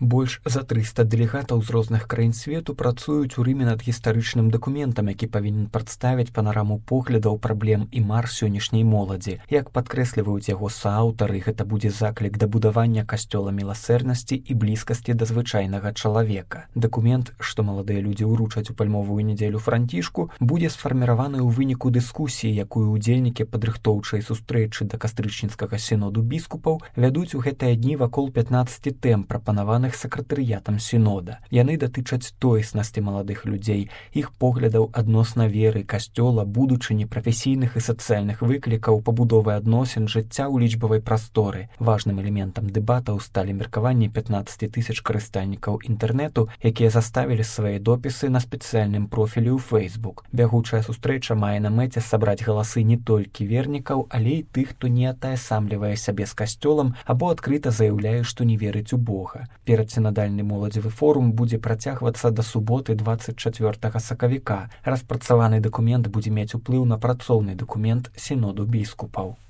Больш за 300 дэлегатаў з розных краін свету працуюць у Рыме над гістарычным дакументам, які павінен прадставіць панараму поглядаў, праблем і мар сённяшняй моладзі. Як падкрэсліваюць яго сааўтары, гэта будзе заклік да будавання касцёла міласэрнасці і блізкасці да звычайнага чалавека. Дакумент, што маладыя людзі ўручаць у пальмовую нядзелю Францішку, будзе сфарміраваны ў выніку дыскусіі, якую ўдзельнікі падрыхтоўчай сустрэчы да кастрычніцкага сіноду біскупаў вядуць у гэтыя дні вакол 15 тэм, прапанаваных сакратарыятам сінода. Яны датычаць тоеснасці маладых людзей, іх поглядаў адносна веры, касцёла, будучыні, прафесійных і сацыяльных выклікаў, пабудовы адносін, жыцця ў лічбавай прасторы. Важным элементам дэбатаў сталі меркаванні 15 000 карыстальнікаў інтэрнэту, якія заставілі свае допісы на спецыяльным профілі ў Facebook. Бягучая сустрэча мае на мэце сабраць галасы не толькі вернікаў, але і тых, хто не атаясамлівае сябе з касцёлам або адкрыта заяўляе, што не верыць у Бога. Перадсінадальны моладзевы форум будзе працягвацца да суботы 24 сакавіка. Распрацаваны дакумент будзе мець уплыў на працоўны дакумент сіноду біскупаў.